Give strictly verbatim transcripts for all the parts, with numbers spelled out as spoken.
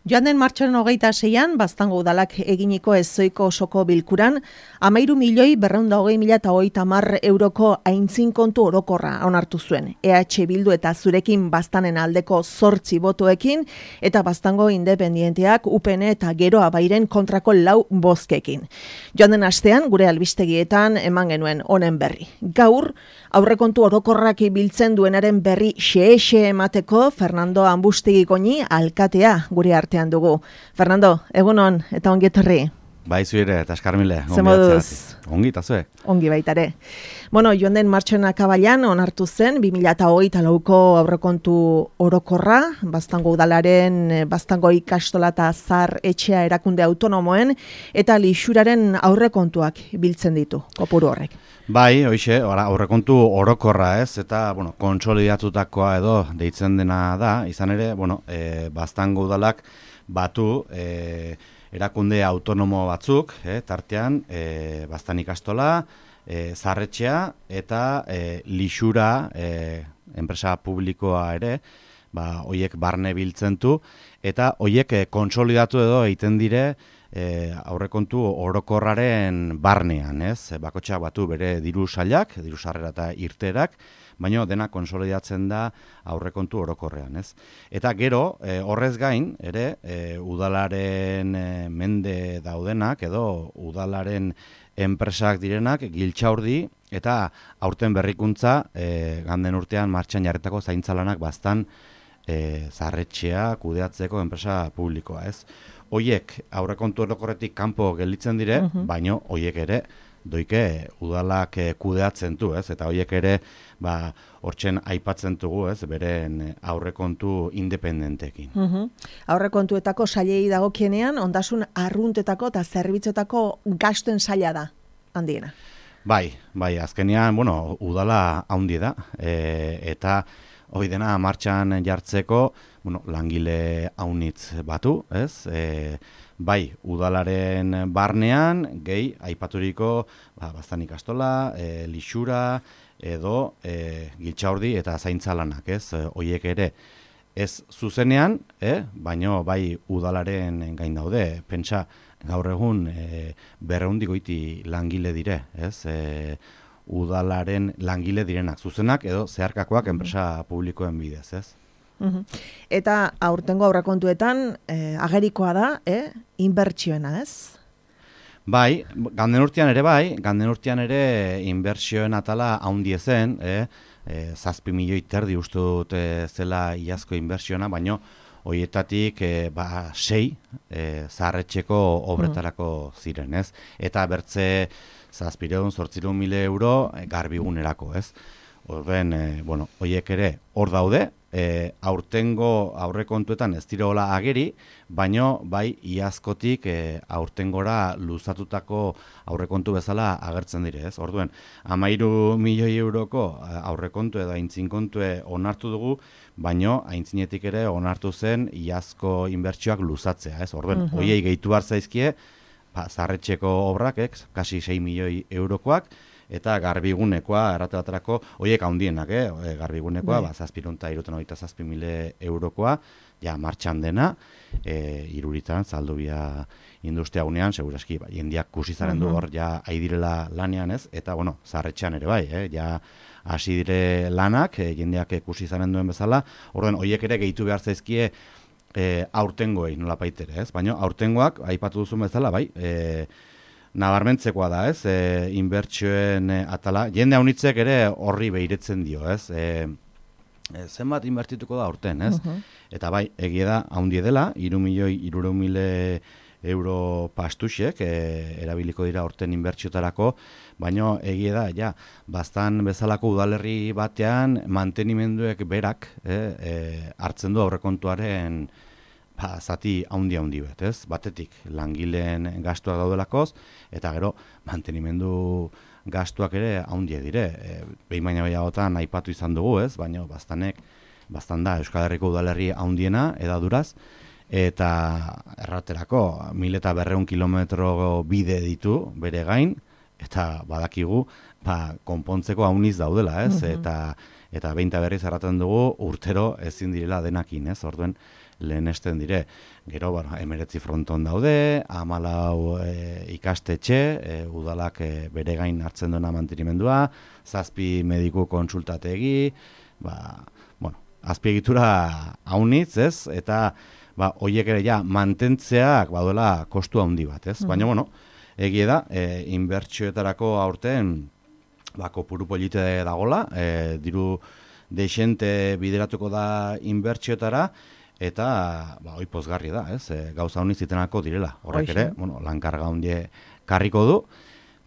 Joan den martxoaren hogeita seian, Baztango udalak eginiko ezoiko osoko bilkuran, amairu milioi berreunda hogei mila eta hogeita hamar euroko aintzin kontu orokorra onartu zuen. E H Bildu eta zurekin Baztanen aldeko zortzi botoekin, eta Baztango independienteak U P N eta Geroa Bairen kontrako lau bozkekin. Joan den astean, gure albistegietan eman genuen honen berri. Gaur, aurrekontu orokorrak biltzen duenaren berri xe-xe emateko Fernando Ambustegi Goñi alkatea gure artean dugu. Fernando, egunon eta ongi etorri. Bai, zuire, eta eskarmile. Ze moduz? Ongi, eta zue? Ongi baitare. Bueno, joan den martxoen akabailan onartu zen, bi mila hogeita lauko aurrekontu orokorra, Baztango udalaren, Baztango ikastola eta zar etxea erakunde autonomoen, eta lixuraren aurrekontuak biltzen ditu, kopuru horrek. Bai, hoixe, aurrekontu orokorra ez, eta, bueno, kontsolidatutakoa edo deitzen dena da, izan ere, bueno, e, Baztango udalak batu e, erakunde autonomo batzuk, e, tartean, e, Baztan ikastola, e, zarretxea eta e, lixura, e, enpresa publikoa ere, ba, hoiek barne biltzen du, eta hoiek e, kontsolidatu edo egiten dire, E, aurrekontu orokorraren barnean, ez? Bakotxak batu bere diru sailak, diru sarrera eta irterak, baina dena konsolidatzen da aurrekontu orokorrean, ez? Eta gero, e, horrez gain, ere, e, udalaren e, mende daudenak, edo udalaren enpresak direnak, Giltxaurdi, eta aurten berrikuntza, e, ganden urtean martxan jarretako zaintzalanak Baztan e, zarretxea kudeatzeko enpresa publikoa, ez? Hoiek aurrekontu orokorretik kanpo gelditzen dire, uh-huh. baino hoiek ere doike udalak kudeatzen du, ez? Eta hoiek ere ba hortzen aipatzen dugu, ez? Beren aurrekontu independenteekin. Uh-huh. Aurrekontuetako sailei dagokienean ondasun arruntetako eta zerbitzuetako gastuen saila da handiena. Bai, bai, azkenean, bueno, udala handi da, e, eta hoi dena martxan jartzeko, bueno, langile haunitz batu, ez? E, bai, udalaren barnean, gehi, aipaturiko, ba, Baztan ikastola, e, lixura, edo e, Giltxaurdi eta zaintzalanak, ez? E, hoiek ere, ez zuzenean, eh? baino bai udalaren gain daude, pentsa, gaur egun e, berreundi goiti langile dire, ez? E, udalaren langile direnak, zuzenak edo zeharkakoak enpresa publikoen bidez, ez? Uh-huh. Eta aurtengo aurrekontuetan eh, agerikoa da, eh? inbertsioena, ez? Bai, ganden urtean ere bai, ganden urtean ere inbertsioen atala haundi zen, eh? e, zazpi milioi terdi uste dut e, zela iazko inbertsioena, baino hoietatik e, ba, sei e, zaharretxeko obretarako ziren, ez? Eta bertze zazpireun, zortzireun mile euro e, garbigunerako, ez? Horren, e, bueno, hoiek ere hor daude, e, aurtengo aurrekontuetan ez direola ageri, baino bai iazkotik e, aurtengora luzatutako aurrekontu bezala agertzen dire, ez? Orduen, hamairu milioi euroko aurrekontu edo aintzinkontue onartu dugu, baino aintzinetik ere onartu zen iazko inbertsioak luzatzea, ez? Orduen, uh-huh. hoiei gehitu behar zaizkie, ba, zarretxeko obrak, ez? Kasi sei milioi eurokoak, eta garbigunekoa, errate baterako, hoiek handienak, eh? Garbigunekoa, ba, zazpirunta irutan hogeita zazpi mile eurokoa, ja, martxan dena, e, iruritan, zaldubia industria gunean, seguraski, ba, jendiak kusizaren du hor, ja, aidirela lanean ez, eta, bueno, zarretxean ere bai, eh? Ja, hasi dire lanak, e, jendeak kusizaren duen bezala, orden, hoiek ere gehitu behar zaizkie, e, aurtengoei, nola paitere, ez? Baina, aurtengoak, aipatu duzun bezala, bai, e, nabarmentzekoa da, ez, e, inbertsioen e, atala, jende haunitzek ere horri behiretzen dio, ez, e, e, zenbat inbertituko da aurten, ez, uh-huh. eta bai, egia da, haundi dela, iru milioi, irureun mile euro pastuxek, e, erabiliko dira aurten inbertsiotarako, baina egia da, ja, Baztan bezalako udalerri batean, mantenimenduek berak, e, e, hartzen du aurrekontuaren, ba, zati haundi-haundi bet, ez? Batetik, langileen gastuak daudelakoz, eta gero, mantenimendu gastuak ere haundie dire. E, behin baina behiagotan aipatu izan dugu, ez? Baina Baztanek, Baztan da Euskal Herriko udalerri haundiena, edaduraz, eta erraterako, mil eta berreun kilometro bide ditu, bere gain, eta badakigu, ba, konpontzeko hauniz daudela, ez? Uh-huh. Eta, eta behin eta berriz erraten dugu, urtero ezin direla denakin, ez? Orduen, lehenesten dire. Gero, bueno, emeretzi fronton daude, hamalau e, ikastetxe, e, udalak e, bere gain hartzen duena mantenimendua, zazpi mediku kontsultategi, ba, bueno, azpiegitura haunitz, ez? Eta, ba, hoiek ere ja, mantentzeak baduela kostu handi bat, ez? Baina, bueno, egie da, e, inbertsioetarako aurten, ba, kopuru polite dagola, e, diru deixente bideratuko da inbertsioetara, eta, ba, hoi pozgarri da, ez? E, gauza honi zitenako direla. Horrek ere, bueno, lankarga handie karriko du,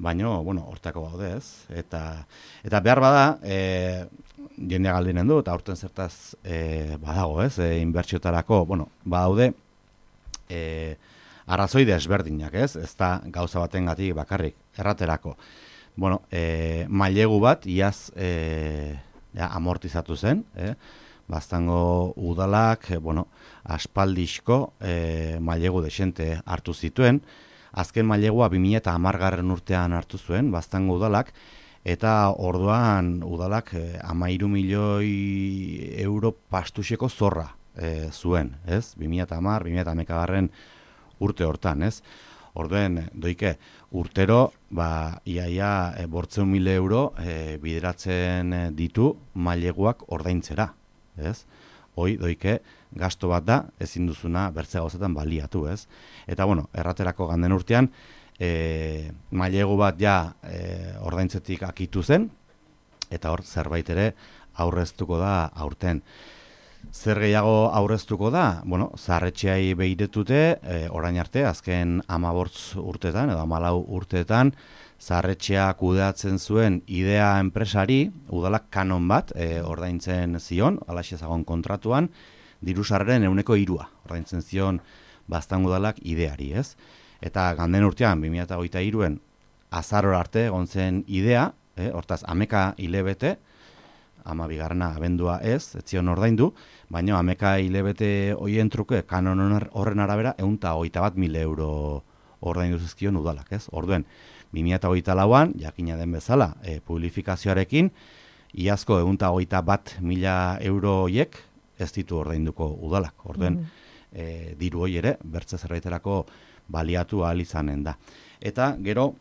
baina, bueno, hortako baude, ez? Eta, eta behar bada, e, jendea galdinen du, eta aurten zertaz e, badago, ez? E, inbertsioetarako, bueno, badaude, e, arrazoi desberdinak, ez? Ez da gauza batengatik bakarrik, erraterako. Bueno, e, mailegu bat, iaz e, ja, amortizatu zen, eh? Baztango udalak, e, bueno, aspaldizko e, mailegu desente hartu zituen, azken mailegua bi mila hamargarren urtean hartu zuen, Baztango udalak, eta orduan udalak e, hamairu milioi euro pastuseko zorra e, zuen, ez? bi mila hamar, bi mila hamaikagarren urte hortan, ez? Orduen, doike, urtero, ba, iaia e, bortzeun mila euro e, bideratzen ditu maileguak ordaintzera, ez? Hoi, doike, gasto bat da, ezin duzuna bertze gauzetan baliatu, ez? Eta, bueno, erraterako ganden urtean, e, mailegu bat ja e, ordaintzetik akitu zen, eta hor, zerbait ere aurreztuko da aurten. Zer gehiago aurreztuko da? Bueno, zaharretxeai behiretute, e, orain arte, azken hamabortz urtetan, edo hamalau urtetan, zaharretxea kudeatzen zuen idea enpresari, udalak kanon bat, e, ordaintzen zion, alaxe zagon kontratuan, dirusarren euneko hirua, ordaintzen zion Baztango udalak ideari, ez? Eta ganden urtean, bi mila hogeita hiruen, azaror arte egon zen idea, e, hortaz, ameka hilebete, ama bigarrena abendua ez, ez zion ordaindu, baina ameka hilebete hoien truke, kanon horren arabera, eunta hogeita bat mil euro ordaindu zizkion udalak, ez? Orduen, bi mila hogeita lauan, jakina den bezala, e, publifikazioarekin, iazko eunta hogeita bat mila euro hoiek ez ditu ordainduko udalak. Orduen, mm. e, diru hoi ere, bertze zerbaiterako baliatu ahal izanen da. Eta, gero,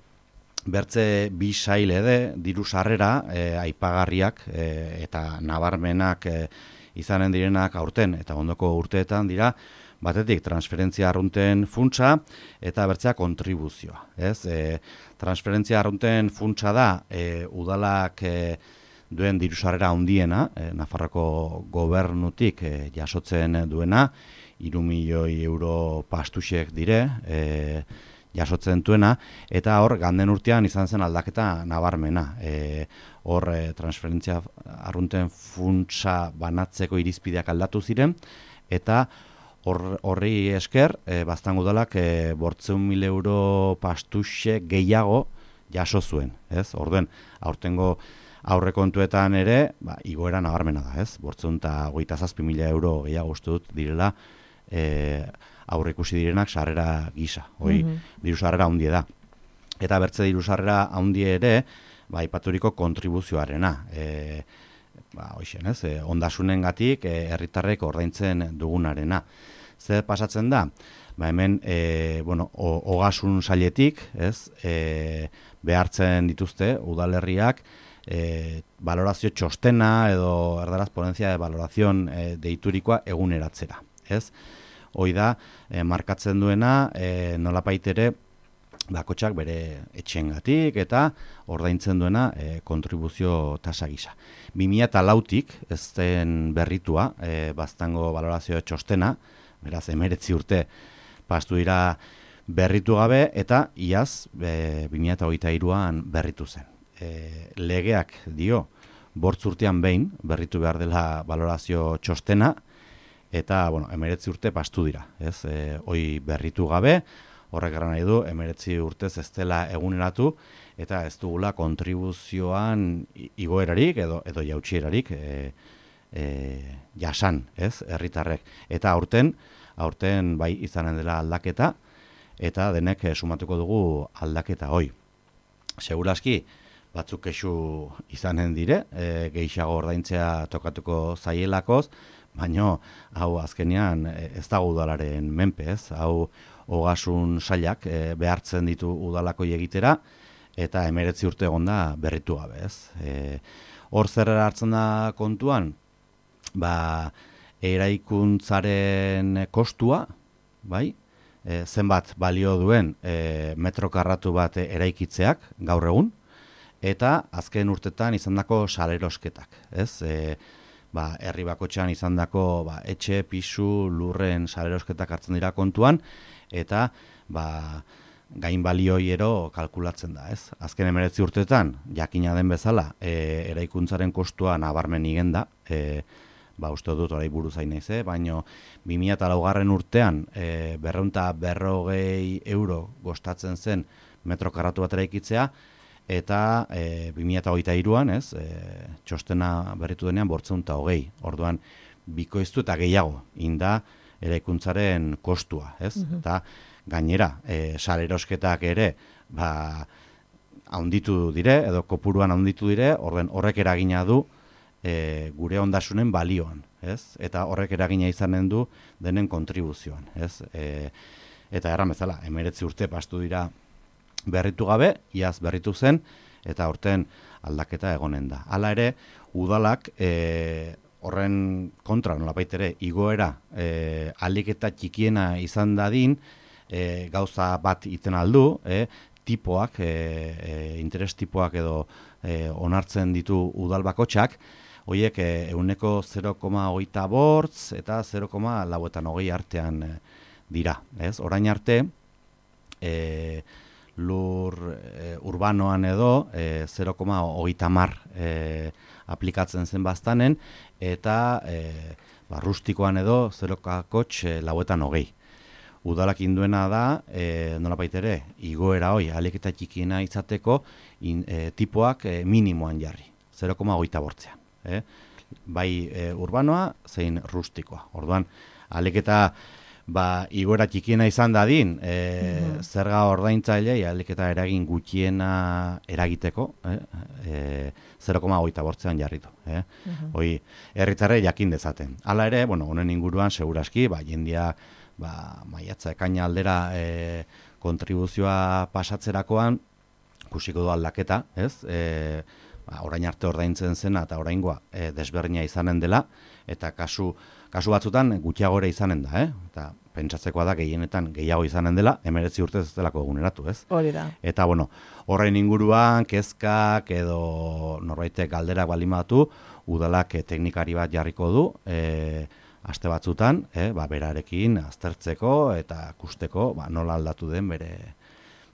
bertze bi saile de, diru sarrera, e, aipagarriak e, eta nabarmenak e, izanen direnak aurten, eta ondoko urteetan dira, batetik transferentzia arrunten funtsa, eta bertzea kontribuzioa. Ez? E, transferentzia arrunten funtsa da, e, udalak e, duen diru sarrera handiena, e, Nafarroko gobernutik e, jasotzen duena, hiru milioi euro pastusek dire, e, jasotzen duena, eta hor, ganden urtean izan zen aldaketa nabarmena. E, hor, e, transferentzia arrunten funtsa banatzeko irizpideak aldatu ziren, eta hor, horri esker, e, Baztango udalak e, bortzeun mil euro pastuse gehiago jaso zuen. Ez? Orduen, aurtengo aurrekontuetan ere, ba, igoera nabarmena da, ez? bortzeun eta hogeita zazpi mila euro gehiago uste dut direla, e, aurre ikusi direnak sarrera gisa, hoi, mm-hmm. diru sarrera handie da. Eta bertze diru sarrera handie ere, ba, ipaturiko kontribuzioarena. E, ba, hoixen, ez, e, ondasunengatik e, herritarrek ordaintzen dugunarena. Zer pasatzen da? Ba, hemen, e, bueno, ogasun sailetik, ez, e, behartzen dituzte, udalerriak, e, valorazio txostena edo erdaraz ponentzia de valorazion e, deiturikoa eguneratzera, ez? Hoi da, e, markatzen duena, e, nolapait ere, bakotxak bere etxengatik eta ordaintzen duena e, kontribuzio tasa gisa. bi mila lautik, ez den berritua, e, Baztango valorazio txostena, beraz, emeretzi urte pastu dira berritu gabe, eta iaz, e, bi mila hogeita hiruan berritu zen. E, legeak dio, bortz urtean behin, berritu behar dela valorazio txostena, eta, bueno, emeretzi urte pastu dira, ez? E, hoi berritu gabe, horrek gara nahi du, emeretzi urtez ez dela eguneratu, eta ez dugula kontribuzioan igoerarik edo, edo jautsierarik e, e, jasan, ez? Herritarrek. Eta aurten, aurten bai izanen dela aldaketa, eta denek e, sumatuko dugu aldaketa hoi. Seguraski, batzuk kexu izanen dire, e, gehiago ordaintzea tokatuko zaielakoz, baino hau azkenean ez dago udalaren menpe, ez? Hau ogasun sailak e, behartzen ditu udalako egitera, eta hemeretzi urte egon da berritu gabe, ez? E, hor zer hartzen da kontuan, ba, eraikuntzaren kostua, bai? E, zenbat balio duen e, metro karratu bat eraikitzeak gaur egun, eta azken urtetan izandako salerosketak, ez? E, ba, herri bakotxean izandako ba, etxe, pisu, lurren salerosketak hartzen dira kontuan, eta ba, gain balioiero kalkulatzen da, ez? Azken hemeretzi urtetan, jakina den bezala, e, eraikuntzaren kostua nabarmen igen da, e, ba, uste dut orai buruz hain naiz, eh? Baina bi mila laugarren urtean e, berreunta berrogei euro gostatzen zen metro karratu bat eraikitzea, eta e, bi mila hogeita hiruan, ez, e, txostena berritu denean bortzeunta hogei. Orduan, bikoiztu eta gehiago inda eraikuntzaren kostua, ez? Uh-huh. Eta gainera, e, salerosketak ere, ba, haunditu dire, edo kopuruan haunditu dire, orden horrek eragina du e, gure ondasunen balioan, ez? Eta horrek eragina izanen du denen kontribuzioan, ez? E, eta erran bezala, hemeretzi urte pastu dira berritu gabe, iaz berritu zen, eta horten aldaketa egonen da. Hala ere, udalak e, horren kontra, nolabait ere, igoera e, aliketa txikiena izan dadin, e, gauza bat iten aldu, e, tipoak, e, e, interes tipoak edo e, onartzen ditu udal bakotxak, horiek e, euneko zero koma hogeita bortz eta zero koma lauetan hogei artean e, dira. Ez? Orain arte, e, lur e, urbanoan edo e, zero koma hogeita hamar e, aplikatzen zen baztanen, eta e, ba, rustikoan edo zero koma e, lauetan hogei. Udalak induena da, e, nolabait ere, igoera hoi, aliketa txikiena izateko, in, e, tipoak e, minimoan jarri, zero koma hogeita bortzean. Eh? Bai e, urbanoa, zein rustikoa. Orduan, aliketa ba, igoera txikiena izan dadin, e, mm-hmm. zerga ordaintzailei aliketa eragin gutxiena eragiteko, eh? e, zero koma hogeita bortzean jarritu. Eh? Mm-hmm. Hoi, herritarrei jakin dezaten. Hala ere, bueno, honen inguruan, seguraski, ba, jendia ba, maiatza ekaina aldera e, kontribuzioa pasatzerakoan, kusiko du aldaketa, ez? E, ba, orain arte ordaintzen zena eta oraingoa e, desberdina izanen dela, eta kasu, kasu batzutan gutxiagore izanen da, eh? Eta pentsatzekoa da gehienetan gehiago izanen dela, hemeretzi urtez ez delako eguneratu, ez? Hori da. Eta, bueno, horrein inguruan, kezkak edo norbaitek galderak baldin batu, udalak e, teknikari bat jarriko du, e, aste batzutan, eh, ba, berarekin aztertzeko eta kusteko ba, nola aldatu den bere,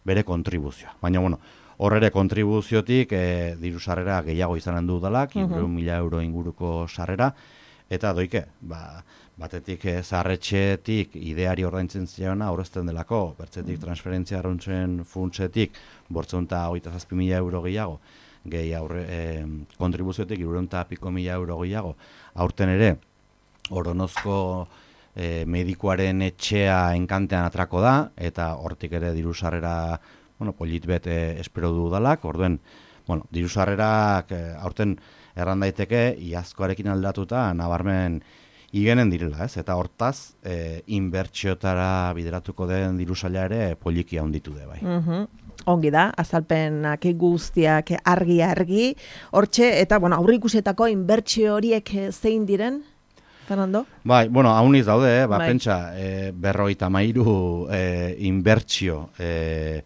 bere kontribuzioa. Baina, bueno, hor ere kontribuziotik eh, diru sarrera gehiago izanen du udalak, hirurehun mila euro inguruko sarrera, eta doike, ba, batetik eh, zaharretxetik ideari ordaintzen ziona aurrezten delako, bertzetik transferentzia arruntzen funtsetik, bortzeun eta hogeita zazpi mila euro gehiago, gehi aurre, eh, kontribuziotik hirurehun eta piko mila euro gehiago, aurten ere, Oronozko e, medikuaren etxea enkantean atrako da, eta hortik ere diru sarrera, bueno, polit bet e, espero du udalak, orduen, bueno, diru sarrerak e, aurten erran daiteke, iazkoarekin aldatuta, nabarmen igenen direla, ez? Eta hortaz, e, inbertsiotara bideratuko den diru saila ere poliki handitu de bai. Mm-hmm. Ongi da, azalpenak guztiak argi-argi, hortxe, eta, bueno, aurrikusetako inbertsio horiek zein diren? Fernando? Bai, bueno, hauniz daude, eh? ba, bai. Pentsa, e, berrogeita hamairu e, inbertsio e,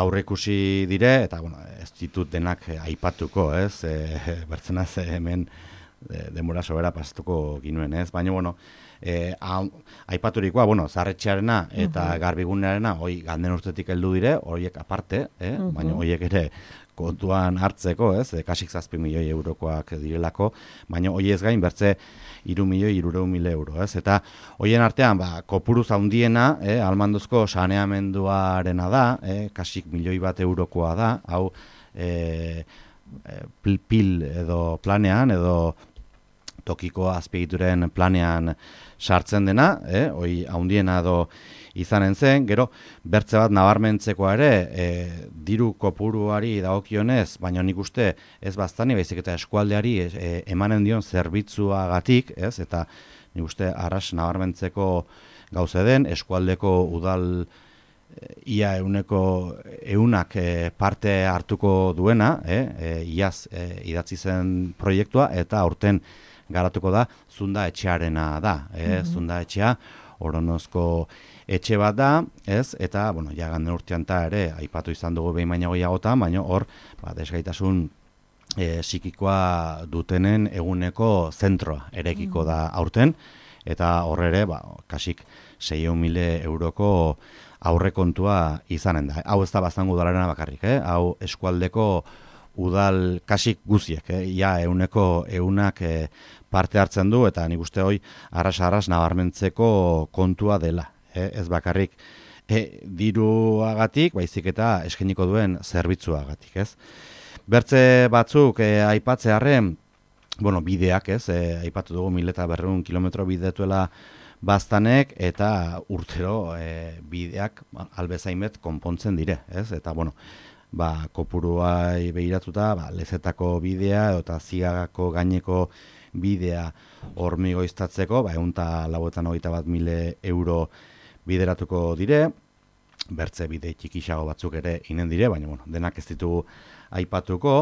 aurreikusi dire, eta, bueno, ez ditut denak aipatuko, ez? E, bertzenaz hemen e, denbora sobera pasatuko ginuen, ez? Baina, bueno, e, aipaturikoa, bueno, zarretxearena eta uh-huh. garbigunearena, hoi ganden urtetik heldu dire, horiek aparte, eh? uh-huh. baina horiek ere kontuan hartzeko, ez? E, kasik zazpi milioi eurokoak direlako, baina hoi ez gain bertze hiru milioi hirurehun mila euro, ez? Eta hoien artean, ba, kopuruz handiena, eh, almanduzko saneamenduarena da, eh, kasik milioi bat eurokoa da, hau eh, pil, pil edo planean, edo tokiko azpiegituren planean sartzen dena, eh, hoi haundiena edo izanen zen, gero bertze bat nabarmentzekoa ere, e, diru kopuruari dagokionez, baina nik uste ez baztani, baizik eta eskualdeari e, emanen dion zerbitzuagatik, ez, eta nik uste arras nabarmentzeko gauze den, eskualdeko udal ia euneko eunak e, parte hartuko duena, e, e, iaz e, idatzi zen proiektua, eta aurten garatuko da, Zunda etxearena da, e, mm-hmm. Zunda etxea, Oronozko etxe bat da, ez, eta, bueno, ja Ganden urtean ta ere, aipatu izan dugu behin baina gehiagotan, baina hor, ba, desgaitasun e, psikikoa dutenen eguneko zentroa erekiko da aurten, eta horre ere, ba, kasik seiehun mila euroko aurrekontua izanen da. Hau ez da baztango udalarena bakarrik, eh? Hau eskualdeko udal kasik guziek, eh? Ja euneko eunak eh, parte hartzen du, eta nik uste hoi arras-arras nabarmentzeko kontua dela. Eh? Ez bakarrik eh, diruagatik, baizik eta eskainiko duen zerbitzuagatik, ez? Bertze batzuk eh, aipatzearren, bueno, bideak, ez? Eh, aipatu dugu mil eta berrehun kilometro bidetuela baztanek, eta urtero e, bideak albezaimet konpontzen dire, ez? Eta, bueno, ba, kopuruai behiratuta, ba, lezetako bidea, eta Ziagako gaineko bidea hormigoiztatzeko, ba, egun eta lauetan hogeita bat mile euro bideratuko dire, bertze bide txikisago batzuk ere inen dire, baina, bueno, denak ez ditugu aipatuko,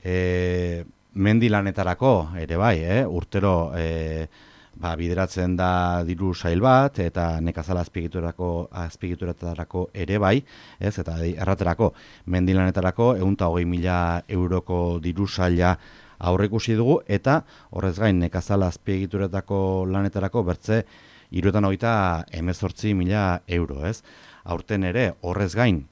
e, mendilanetarako ere bai, eh? Urtero, e, ba, bideratzen da diru sail bat, eta nekazala azpiegiturako azpiegituretarako ere bai, ez, eta erraterako mendilanetarako ehun eta hogei mila euroko diru saila aurreikusi dugu, eta horrez gain nekazala azpiegituretako lanetarako bertze hirurogeita hogeita hemezortzi mila euro, ez. Aurten ere horrez gain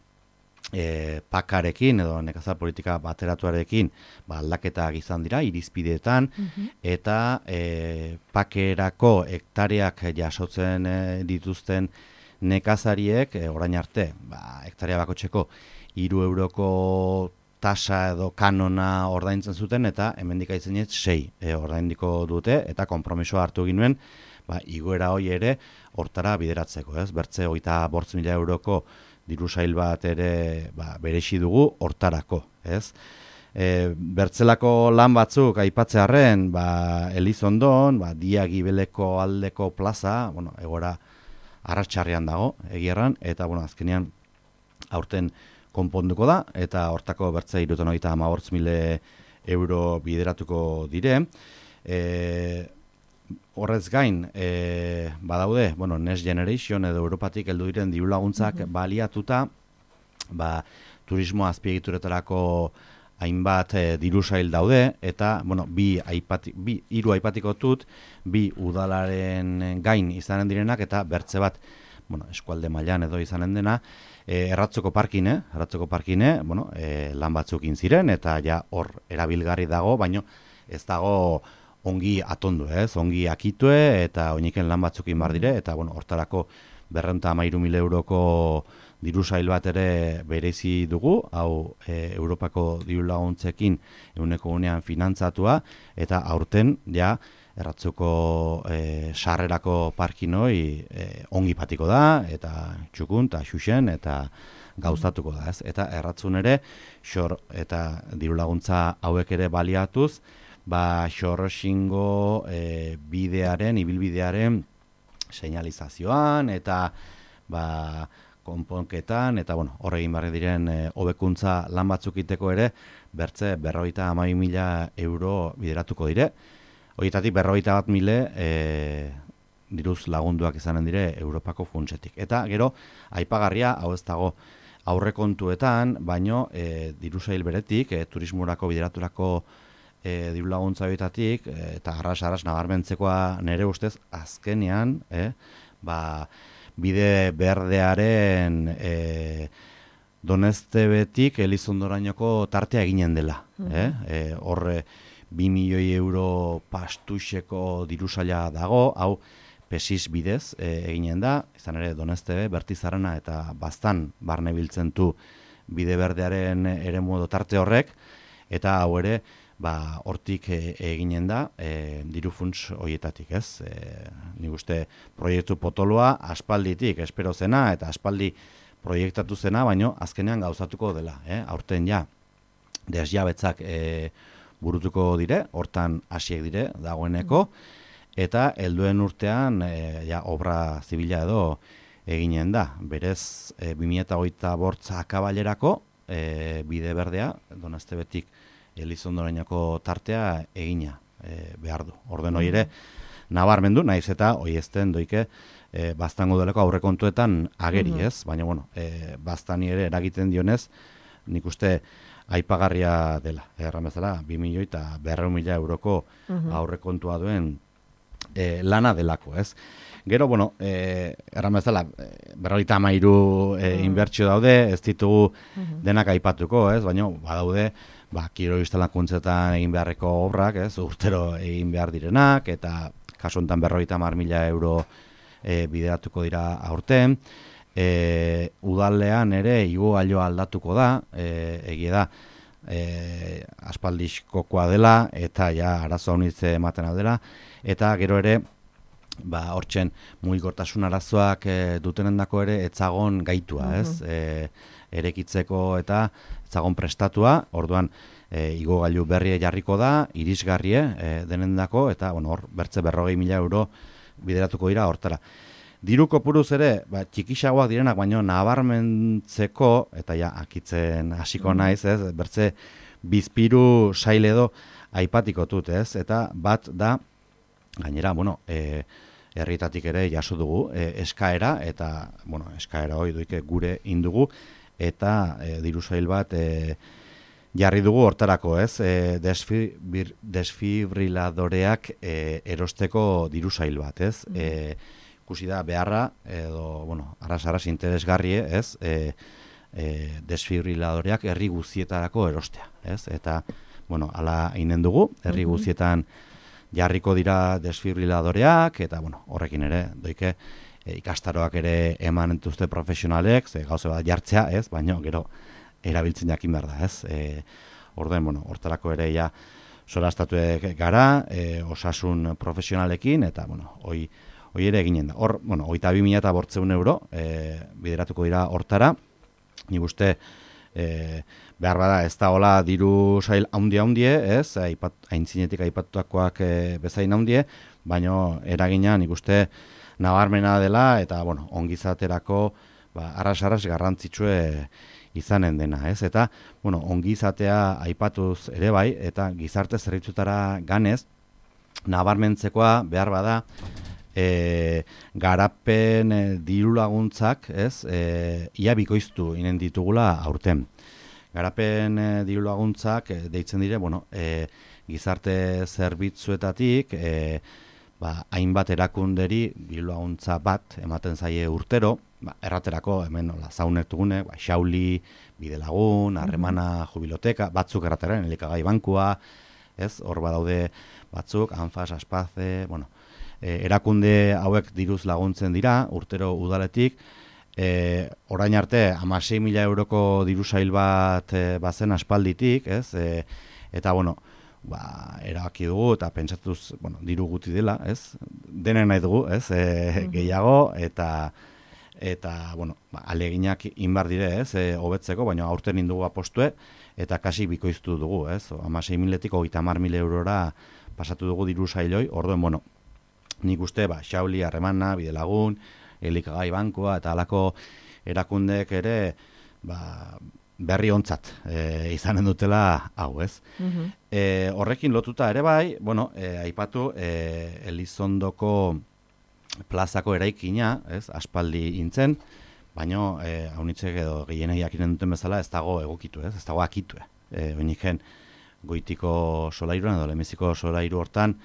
E, pakarekin edo nekazal politika bateratuarekin ba, aldaketak izan dira irizpideetan, mm-hmm. eta e, pakerako hektareak jasotzen e, dituzten nekazariek e, orain arte ba, hektarea bakoitzeko hiru euroko tasa edo kanona ordaintzen zuten, eta hemendik aizenez sei e, ordaindiko dute, eta konpromisoa hartu ginuen ba, igoera hoi ere hortara bideratzeko, ez? Bertze hogeita bost mila euroko diru sail bat ere ba, berexi dugu hortarako, ez? E, bertzelako lan batzuk aipatzearren, ba, Elizondon, ba, Dia Gibeleko aldeko plaza, bueno, egora arratsaldean dago, egierran, eta, bueno, azkenean aurten konponduko da, eta hortako bertze hirurogeita hogeita hamabost mila euro bideratuko dire. E, Horrez gain, e, badaude, bueno, Next Generation edo Europatik heldu diren diru laguntzak mm-hmm. baliatuta, ba, turismo azpiegituretarako hainbat e, diru sail daude, eta, bueno, bi aipati, bi hiru aipatiko dut, bi udalaren gain izanen direnak, eta bertze bat, bueno, eskualde mailan edo izanen dena, e, erratzoko parkine, erratzoko parkine, bueno, e, lan batzukin ziren, eta ja hor erabilgarri dago, baino ez dago ongi atondu, ez? Ongi akitue, eta oiniken lan batzukin bar dire, eta, bueno, hortarako berrehun eta hamairu mila euroko diru sail bat ere berezi dugu, hau e, Europako diru laguntzekin ehuneko unean finantzatua, eta aurten, ja, erratzuko e, sarrerako parkinoi e, ongi patiko da, eta txukun, eta xuxen, eta gauzatuko da, ez? Eta erratzun ere, xor eta diru laguntza hauek ere baliatuz, ba, xorroxingo e, bidearen, ibilbidearen seinalizazioan, eta ba, konponketan, eta bueno, horregin barri diren e, hobekuntza lan batzuk iteko ere, bertze berrogeita hamabi mila euro bideratuko dire. Horietatik berrogeita bat mila e, diruz lagunduak izanen dire Europako funtsetik. Eta gero, aipagarria, hau ez dago aurrekontuetan, baino e, diru sail beretik, e, turismurako bideraturako E, diru laguntza horietatik, e, eta arras-arras nabarmentzekoa nere ustez, azkenean, e, ba, bide berdearen e, Donestebetik Elizondorainoko tartea eginen dela. Mm-hmm. eh? E, horre, bi milioi euro pastuxeko diru saila dago, hau pesis bidez e, eginen da, izan ere Donestebe, Bertizarana eta Baztan barne biltzen du bide berdearen ere modu tarte horrek, eta hau ere, ba, hortik e, eginen da, e, diru funts horietatik, ez? E, nik uste proiektu potoloa aspalditik, espero zena, eta aspaldi proiektatu zena, baino azkenean gauzatuko dela, eh? Aurten ja, desjabetzak e, burutuko dire, hortan hasiek dire, dagoeneko, eta helduen urtean e, ja, obra zibila edo eginen da. Berez, e, bi mila hogeita bost akabalerako e, bide berdea, Donastebetik Elizondorainoko tartea egina e, behar du. Orden hori ere, nabarmendu, naiz eta hoi ezten doike e, baztango delako aurrekontuetan ageri, Mhm. ez? Baina, bueno, e, baztani ere eragiten dionez, nik uste aipagarria dela. Erran bezala, bi milioi eta berrehun mila euroko Mhm. aurrekontua duen e, lana delako, ez? Gero, bueno, e, erran bezala, e, berrogeita hamairu e, Mm. inbertsio daude, ez ditugu Mhm. denak aipatuko, ez? Baina, badaude, ba, kirol instalakuntzetan egin beharreko obrak, ez? Urtero egin behar direnak, eta kasu honetan berrogeita hamar mila euro e, bideratuko dira aurten. E, udalean ere igogailoa aldatuko da, e, egia da, e, aspaldizkokoa dela, eta ja arazo honitze ematen aldela, eta gero ere, ba, hortzen mugikortasun arazoak e, dutenendako ere etzagon gaitua, ez? E, erekitzeko eta etzagon prestatua, orduan e, igogailu berrie jarriko da, irisgarrie e, denendako, eta bueno, hor bertze berrogei mila euro bideratuko dira hortara. Diru kopuruz ere, ba, txikixagoak direnak, baino nabarmentzeko, eta ja, akitzen hasiko naiz, ez? Bertze bizpiru sail edo aipatiko dut, ez? Eta bat da, gainera, bueno, e, herrietatik ere jaso dugu e, eskaera, eta, bueno, eskaera hori duike gure indugu, eta e, diru sail bat e, jarri dugu hortarako, ez? E, desfibir, desfibriladoreak e, erosteko diru sail bat, ez? Mm. E, ikusi da beharra, edo, bueno, arras-arras interesgarrie, ez? E, e, desfibriladoreak herri guztietarako erostea, ez? Eta, bueno, ala inen dugu, herri Mhm. guztietan jarriko dira desfibriladoreak, eta, bueno, horrekin ere, doike, e, ikastaroak ere eman entuzte profesionalek, ze gauze bat jartzea, ez? Baina, gero, erabiltzen jakin behar da, ez? E, Orden, bueno, hortarako ere ja solastatuek gara, e, osasun profesionalekin, eta, bueno, hoi, hoi ere eginen da. Hor, bueno, hogeita bi mila eta bortzeun euro e, bideratuko dira hortara, nik uste, e, behar bada ez da hola diru sail haundie-haundie, ez? Aipat, aintzinetik aipatutakoak e, bezain haundie, baina eragina nik uste nabarmena dela, eta, bueno, ongizaterako, ba, arras-arras garrantzitsue izanen dena, ez? Eta, bueno, ongizatea aipatuz ere bai, eta gizarte zerbitzutara ganez, nabarmentzekoa behar bada, e, garapen e, diru laguntzak, ez? E, ia bikoiztu inen ditugula aurten. Garapen e, diru laguntzak e, deitzen dire, bueno, e, gizarte zerbitzuetatik, e, ba, hainbat erakunderi diru laguntza bat ematen zaie urtero, ba, erraterako hemen nola zaunek dugune, ba, Xauli, Bidelagun, Harremana, Jubiloteka, batzuk errateren, elikagai bankua, ez? Hor badaude batzuk, Anfas, Aspaze, bueno, e, erakunde hauek diruz laguntzen dira, urtero udaletik, e, orain arte, hamasei mila euroko diru sail bat e, bazen aspalditik, ez? E, eta, bueno, ba, erabaki dugu eta pentsatuz, bueno, diru guti dela, ez? Denen nahi dugu, ez? E, gehiago, eta eta, bueno, ba, aleginak inbar dire, ez? E, hobetzeko, baina aurten indugu apostue, eta kasi bikoiztu dugu, ez? hamasei miletik hogeita hamar mila eurora pasatu dugu diru sailoi, orduen, bueno, nik uste, ba, Xauli, Harremana, Bidelagun, Elikagai bankua, eta halako erakundek ere, ba, berri ontzat e, izanen dutela hau, ez? Mhm. E, horrekin lotuta ere bai, bueno, e, aipatu e, Elizondoko plazako eraikina, ez? Aspaldi intzen, baina e, haunitzek edo gehienei jakinen duten bezala ez dago egokitu, ez? Ez dago akitu. E, Oiniken goitiko solairuan edo lemeziko solairu hortan,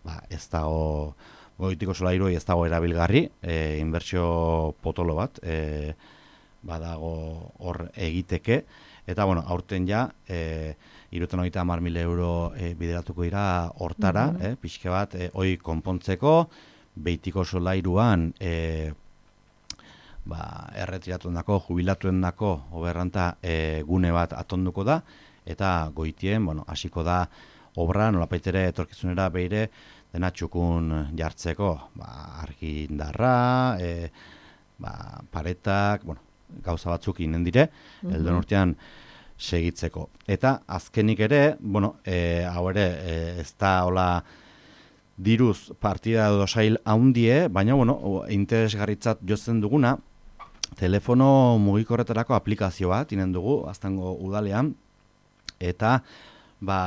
ba, ez dago goitiko solairu ez dago erabilgarri, e, inbertsio potolo bat, e, badago hor egiteke, eta, bueno, aurten ja, e, iruten hogeita hamar mila euro e, bideratuko dira hortara, mm -hmm. e, pixke bat, e, hoi konpontzeko, beitiko solairuan, e, ba, erretiratuen dako, jubilatuen dako, oberranta, e, gune bat atonduko da, eta goitien, bueno, hasiko da, obra nolapaitere etorkizunera beire dena txukun jartzeko, ba, argindarra, e, ba, paretak, bueno, gauza batzuk inen dire, mm-hmm. Eldon urtean segitzeko. Eta azkenik ere, bueno, e, hau ere, e, ez da hola diruz partida edo sail haundie, baina, bueno, interesgarritzat jotzen duguna, telefono mugikorretarako aplikazio bat, inen dugu, aztango udalean, eta, ba,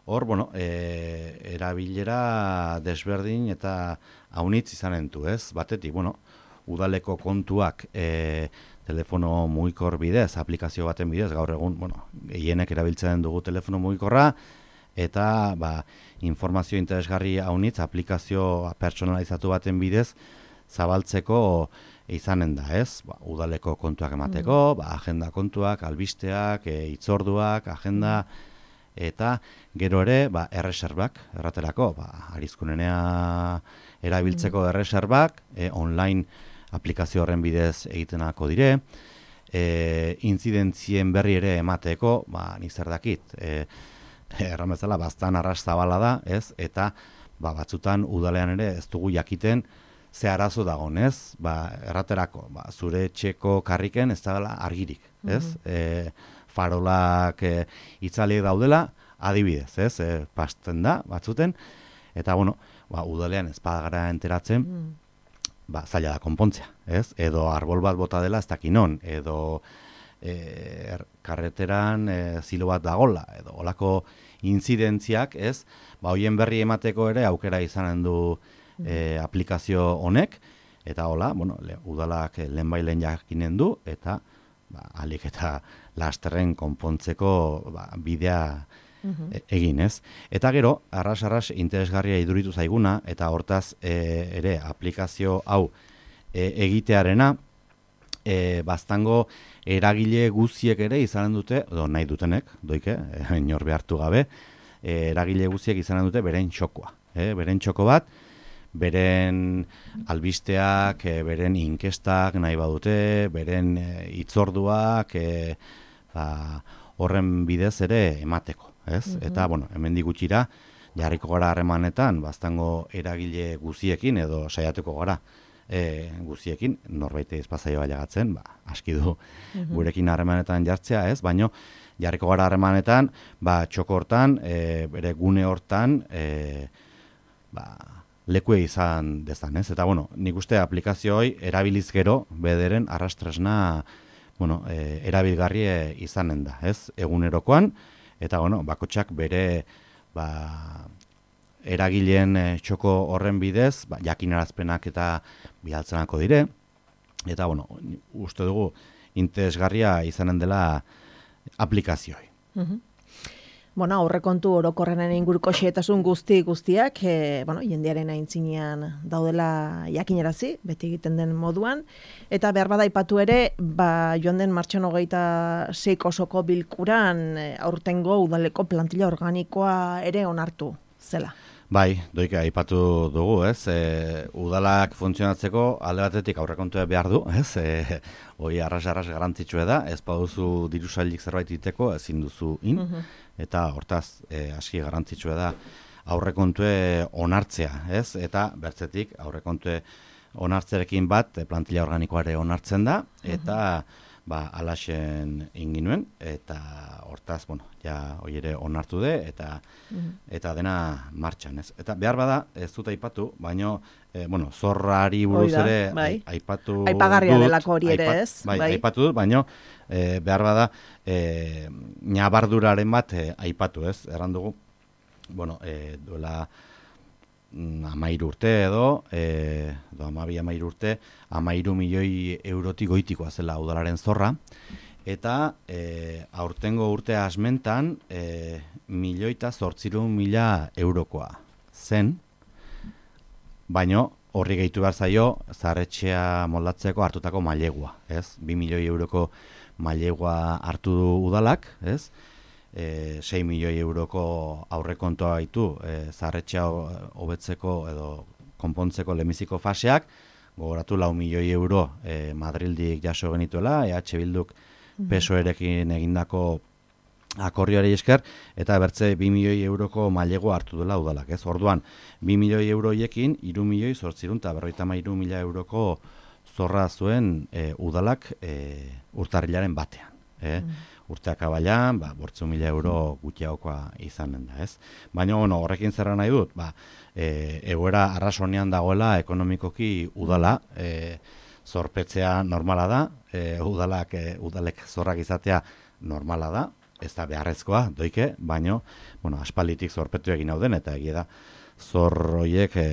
hor, bueno, e, erabilera desberdin eta haunitz izanen du, ez? Batetik, bueno, udaleko kontuak e, telefono mugikor bidez, aplikazio baten bidez, gaur egun, bueno, gehienek erabiltzen dugu telefono mugikorra, eta, ba, informazio interesgarri haunitz, aplikazio personalizatu baten bidez, zabaltzeko izanen da, ez? Ba, udaleko kontuak emateko, mm. ba, agenda kontuak, albisteak, e, itzorduak, agenda, eta gero ere, ba, erreserbak, erraterako, ba, arizkunenea erabiltzeko mm. erreserbak, e, online aplikazio horren bidez egitenako dire, e, inzidentzien berri ere emateko, ba, nik zer dakit, e, erran bezala, bastan arras zabala da, ez? Eta, ba, batzutan udalean ere ez dugu jakiten ze arazo dagoen, ez? Ba, erraterako, ba, zure etxeko karriken ez da argirik, ez? Mm-hmm. E, farolak e, itzaliek daudela, adibidez, ez? E, pasten da, batzuten, eta, bueno, ba, udalean ez badagara enteratzen, mm. ba, zaila da konpontzea, ez? Edo arbol bat bota dela ez dakinon, edo e, er, karreteran e, zilo bat dagola, edo olako inzidentziak, ez? Ba, hoien berri emateko ere aukera izanen du e, aplikazio honek, eta hola, bueno, le, udalak lehen bailen jakinen du, eta ba, alik eta lasterren konpontzeko ba, bidea uh-huh. e, egin, ez? Eta gero, arras-arras interesgarria iduritu zaiguna, eta hortaz e, ere aplikazio hau e, egitearena, e, baztango eragile guziek ere izanen dute, edo nahi dutenek, doike, e, inor behartu gabe, e, eragile guziek izanen dute beren txokoa. E, beren txoko bat, beren albisteak, e, beren inkestak nahi badute, beren e, itzorduak, e, ba, horren bidez ere emateko. Ez? Uh-huh. Eta, bueno, hemendik gutxira, jarriko gara harremanetan, baztango eragile guziekin, edo saiatuko gara e, guziekin, norbait ezpazaio baiagatzen, ba, aski du uh-huh. gurekin harremanetan jartzea, ez? Baino, jarriko gara harremanetan, ba, txoko hortan, e, bere gune hortan, e, ba, lekue izan dezan, ez? Eta, bueno, nik uste aplikazio hoi erabiliz gero, bederen arrastresna, bueno, e, erabilgarri izanen da, ez? Egunerokoan, eta, bueno, bakotxak bere, ba, eragileen e, txoko horren bidez, ba, jakinarazpenak eta bialtzenako dire, eta, bueno, uste dugu interesgarria izanen dela aplikazioa. Uh-huh. Bueno, aurrekontu orokorrenen inguruko xehetasun guzti guztiak, e, bueno, jendearen aintzinean daudela jakinarazi, beti egiten den moduan, eta behar bada aipatu ere, ba, joan den martxoan hogeita seiko osoko bilkuran e, aurtengo udaleko plantilla organikoa ere onartu zela. Bai, doike aipatu dugu, ez? E, udalak funtzionatzeko alde batetik aurrekontua behar du, ez? E, hoi arras-arras garantzitsua da, ez baduzu dirusailik zerbait iteko, ezin duzu in, uh-huh. eta hortaz, e, aski garantzitsua da aurrekontue onartzea, ez? Eta bertzetik aurrekontue onartzerekin bat plantilla organikoare onartzen da, eta uh-huh. ba, alaxen inginuen, eta hortaz, bueno, ja hoi ere onartu de, eta uh-huh. eta dena martxan, ez? Eta behar bada, ez dut aipatu, baino, e, bueno, zorrari buruz Oida, ere bai. aipatu Aipagarria dut. delako hori ere, aipat, ez? Bai, bai. aipatu dut, baino, e, behar bada, e, nabarduraren bat e, aipatu, ez? Erran dugu, bueno, e, duela amairu urte edo, e, edo amabi amairu urte, amairu milioi eurotik goitikoa zela udalaren zorra, eta e, aurtengo urte asmentan e, milioita zortzirun mila eurokoa zen, baino horri gehitu behar zaio zaharretxea moldatzeko hartutako mailegua, ez? Bi milioi euroko mailegua hartu du udalak, ez? E, sei milioi euroko aurrekontoa baitu e, zaharretxea hobetzeko edo konpontzeko lemiziko faseak, gogoratu lau milioi euro e, Madrildik jaso genituela, E H Bilduk P S O E-rekin egindako akordioari esker, eta bertze bi milioi euroko mailego hartu dela udalak, ez? Orduan, bi milioi euroiekin, hiru milioi zortzirun eta berrogeita hamairu mila euroko zorra zuen e, udalak e, urtarrilaren batean. E? Mm. Urteak abailan, ba, bortzu mila euro gutxiagokoa izanen da, ez? Baina, bueno, horrekin zerra nahi dut, ba, e, egoera arrasonean dagoela ekonomikoki udala, e, zorpetzea normala da, e, udalak, e, udalek zorrak izatea normala da, ez da beharrezkoa, doike, baino, bueno, aspalditik zorpetu egin hau den, eta egia da, zor horiek e,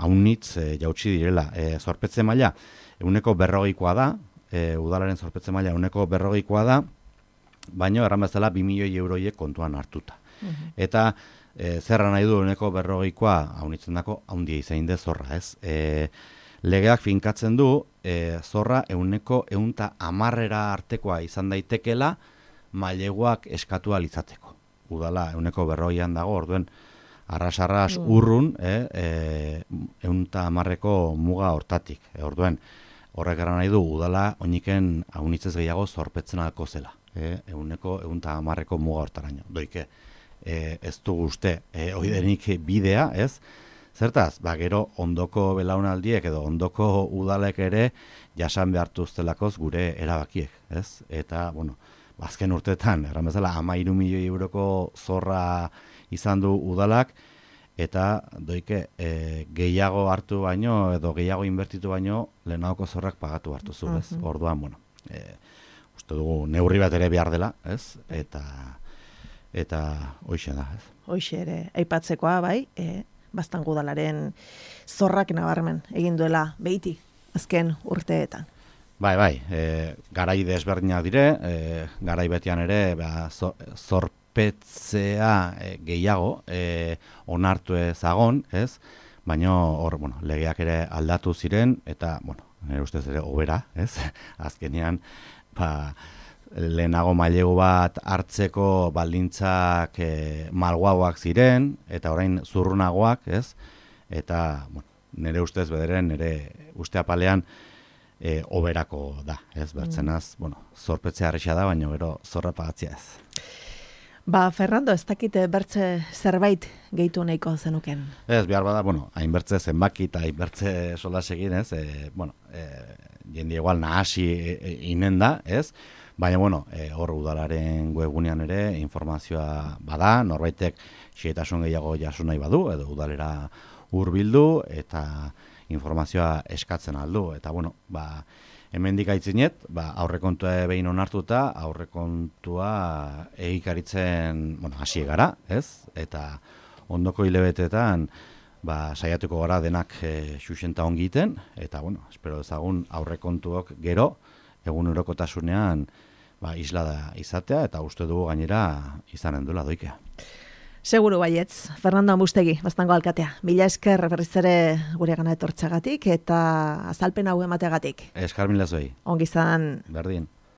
haunitz e, jautsi direla. E, zorpetze maila, euneko berrogeikoa da, e, udalaren zorpetze maila euneko berrogeikoa da, baino, erran bezala, bi milioi euroiek kontuan hartuta. Uh-huh. Eta, e, zerra nahi du euneko berrogeikoa, haunitzen dako, haundia izain de zorra, ez? E, legeak finkatzen du, e, zorra euneko eunta amarrera artekoa izan daitekela, maileguak eskatu alizateko. Udala, euneko berroian dago, orduen, arras-arras mm. urrun, eh, e, eunta amarreko muga hortatik. E, orduen, horrek gara nahi du, udala, oiniken haunitzez gehiago zorpetzen alko zela. E, euneko eunta amarreko muga hortaraino. Doike, e, ez du guzte, e, oidenik bidea, ez? Zertaz, ba, gero ondoko belaunaldiek edo ondoko udalek ere jasan behartu ustelakoz gure erabakiek, ez? Eta, bueno, azken urteetan, erran bezala, hamairu milioi euroko zorra izan du udalak, eta doike e, gehiago hartu baino, edo gehiago inbertitu baino, lehenagoko zorrak pagatu hartu zu, ez? Uh-huh. Orduan, bueno, e, uste dugu neurri bat ere behar dela, ez? Eta, eta hoixe da, ez? Hoixe ere, aipatzekoa, bai, e, Baztango udalaren zorrak nabarmen egin duela behiti, azken urteetan. Bai, bai, e, garai desberdinak dire, e, garai betian ere ba, zo, zorpetzea e, gehiago e, onartu ezagon, ez? Baina hor, bueno, legeak ere aldatu ziren, eta, bueno, nire ustez ere hobera, ez? Azkenean, ba, lehenago mailegu bat hartzeko baldintzak e, malguagoak ziren, eta orain zurrunagoak, ez? Eta, bueno, nire ustez bederen, nire uste apalean, E, oberako da, ez, bertzenaz, mm. bueno, zorpetzea arrexea da, baina gero zorra pagatzea ez. Ba, Fernando, ez dakite bertze zerbait gehitu nahiko zenuken? Ez, behar bada, bueno, hainbertze zenbaki eta hainbertze solas egin, ez, e, bueno, e, jende igual nahasi e, e, inen da, ez, baina, bueno, e, hor udalaren webgunean ere informazioa bada, norbaitek xehetasun gehiago jaso nahi badu, edo udalera hurbildu, eta informazioa eskatzen aldu, eta bueno, ba, hemendik aitzinet, ba, aurrekontua behin onartuta, aurrekontua egikaritzen, bueno, hasi gara, ez? Eta ondoko hilebetetan, ba, saiatuko gara denak e, xuxenta ongiten, eta bueno, espero ezagun aurrekontuok gero, egun eurokotasunean, ba, isla da izatea, eta uste dugu gainera izanen duela doikea. Seguru baietz, Fernando Ambustegi, Baztango alkatea. Mila esker berriz ere gure gana etortzagatik eta azalpen hau emateagatik. Eskar mila zuei. Ongi izan. Berdin.